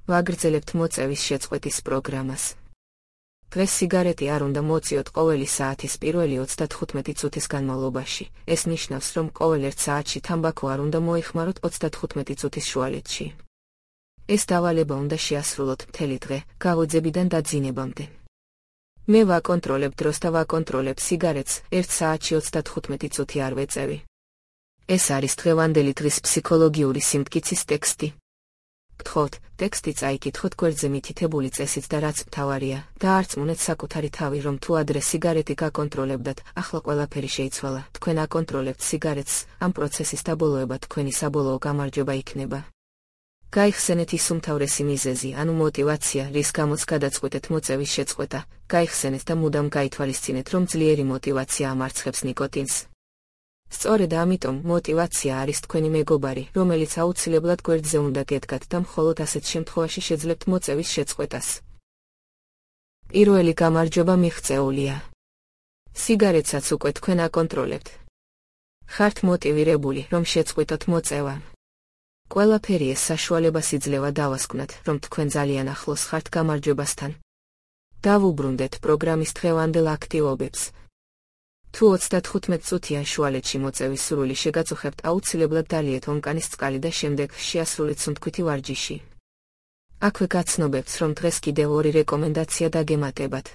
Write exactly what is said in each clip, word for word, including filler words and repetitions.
ვაგრძელებთ მოწევის შეწყვეტის პროგრამას. დღეს სიგარეტი არ უნდა მოწიოთ ყოველი საათის პირველი ოცდათხუთმეტი წუთის განმავლობაში. ეს ნიშნავს, რომ ყოველ ერთ საათში თამბაქო არ უნდა მოიხმაროთ ოცდათხუთმეტი წუთის შუალედში. ეს დავალება უნდა შეასრულოთ მთელი დღე, გავოძებიდან დაძინებამდე. მე ვაკონტროლებ დროს და ვაკონტროლებ სიგარეტს, ერთ საათში ოცდათხუთმეტი წუთი არ ვეწევი. ეს არის დღევანდელი დღის ფსიქოლოგიური სიმტკიცის ტექსტი. გთხოვთ, ტექსტი წაიკითხოთ გვერდზე მითითებული წესით და რაც მთავარია, დაარწმუნეთ საკუთარი თავი, რომ თუ ადრე სიგარეტი გაკონტროლებდათ, ახლა ყველაფერი შეიცვალა. თქვენ აკონტროლებთ სიგარეტს, ამ პროცესის დაბოლოება თქვენი საბოლოო გამარჯვება იქნება. გაიხსენეთ ის უმთავრესი მიზეზი, ანუ мотиваცია, რის გამოც გადაწყვეტეთ მოწევის შეწყვეტა. გაიხსენეთ და მუდამ გაითვალისწინეთ, რომ ძლიერი мотиваცია ამარცხებს ნიკოტინს. სწორედ ამიტომ мотиваცია არის თქვენი მეგობარი, რომელიც აუცილებლად გვერდზე უნდა გედგათ და მხოლოდ ასეთ შემთხვევაში შეძლებთ მოწევის შეწყვეტას. პირველი გამარჯვება მიღწეულია. სიგარეტსაც უკვე თქვენ აკონტროლებთ. ხართ მოტივირებული, რომ შეწყვიტოთ მოწევა. ყველაფერი ეს საშუალებას იძლევა დავასკვნათ, რომ თქვენ ძალიან ახლოს ხართ გამარჯვებასთან. დავუბრუნდეთ პროგრამის დღევანდელ აქტივობებს. თუ ოცდათხუთმეტ წუთიან შუალედში მოწევის სურვილი შეგაწუხებთ, აუცილებლად დალიეთ ონკანის წყალი და შემდეგ შეასრულეთ სუნთქვითი ვარჯიში. აქვე გაცნობებთ, რომ დღეს კიდევ ორი რეკომენდაცია დაგემატებათ.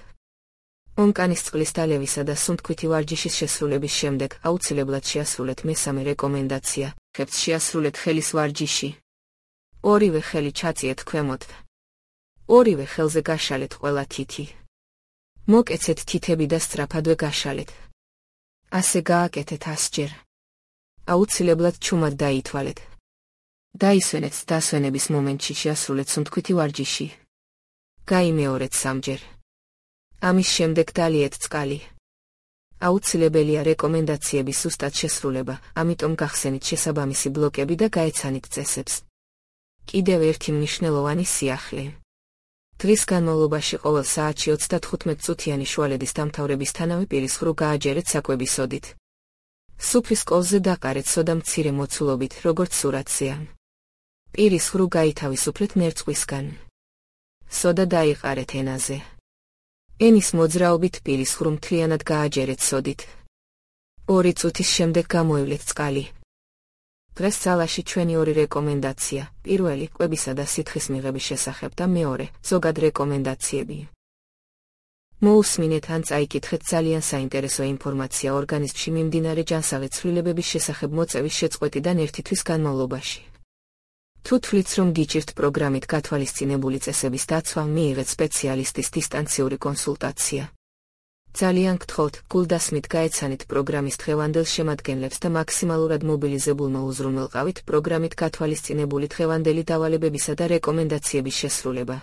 ონკანის წყლის დალევისა და სუნთქვითი ვარჯიშის შესრულების შემდეგ აუცილებლად შეასრულეთ მესამე რეკომენდაცია. ხებს შეასრულეთ ხელის ვარჯიში. ორივე ხელი ჩაწიეთ ქვემოთ. ორივე ხელზე გაშალეთ ყველა თითი. მოკეცეთ თითები და სწრაფადვე გაშალეთ. ასე გააკეთეთ ასჯერ. აუცილებლად ჩუმად დაითვალეთ. დაისვენეთ დასვენების მომენტში შეასრულეთ სუნთქვითი ვარჯიში. გაიმეორეთ სამჯერ. ამის შემდეგ დალიეთ წყალი. აუცილებელია რეკომენდაციების ზუსტად შესრულება, ამიტომ გახსენით შესაბამისი ბლოკები და გაეცანით წესებს. კიდევ ერთი მნიშვნელოვანი სიახლე. დღის განმავლობაში ყოველ საათში ოცდათხუთმეტ წუთიანი შუალედის დამთავრებისთანავე პირის ღრუ გააჯერეთ საკვების სოდით. სუფრის კოლზე დაყარეთ სოდა მცირე მოცულობით, როგორც სურათზეა. პირის ღრუ გაითავისუფლეთ ნერწყვისგან. სოდა დაიყარეთ ენაზე. ენის მოძრაობით პირის ღრუ მთლიანად გააჯერეთ სოდით. ორი წუთის შემდეგ გამოივლეთ წყალი. დღეს ძალაში ჩვენი ორი რეკომენდაცია, პირველი კვებისა და სითხის მიღების შესახებ და მეორე ზოგად რეკომენდაციები. მოусმინეთ ან წაიკითხეთ ძალიან საინტერესო ინფორმაცია ორგანიზმში მიმდინარე ჯანსაღი ცვლილებების შესახებ მოწევის შეწყვეტიდან ერთი თვის განმავლობაში. თუ თვლით, რომ გიჭირთ პროგრამით გათვალისწინებული წესების დაცვა, მიიღეთ სპეციალისტის დისტანციური კონსულტაცია. ძალიან გთხოვთ, გულდასმით გაეცანით პროგრამის დღევანდელ შემადგენლებს და მაქსიმალურად მობილიზებულმა უზრუნველყავით პროგრამით გათვალისწინებული დღევანდელი დავალებებისა და რეკომენდაციების შესრულება.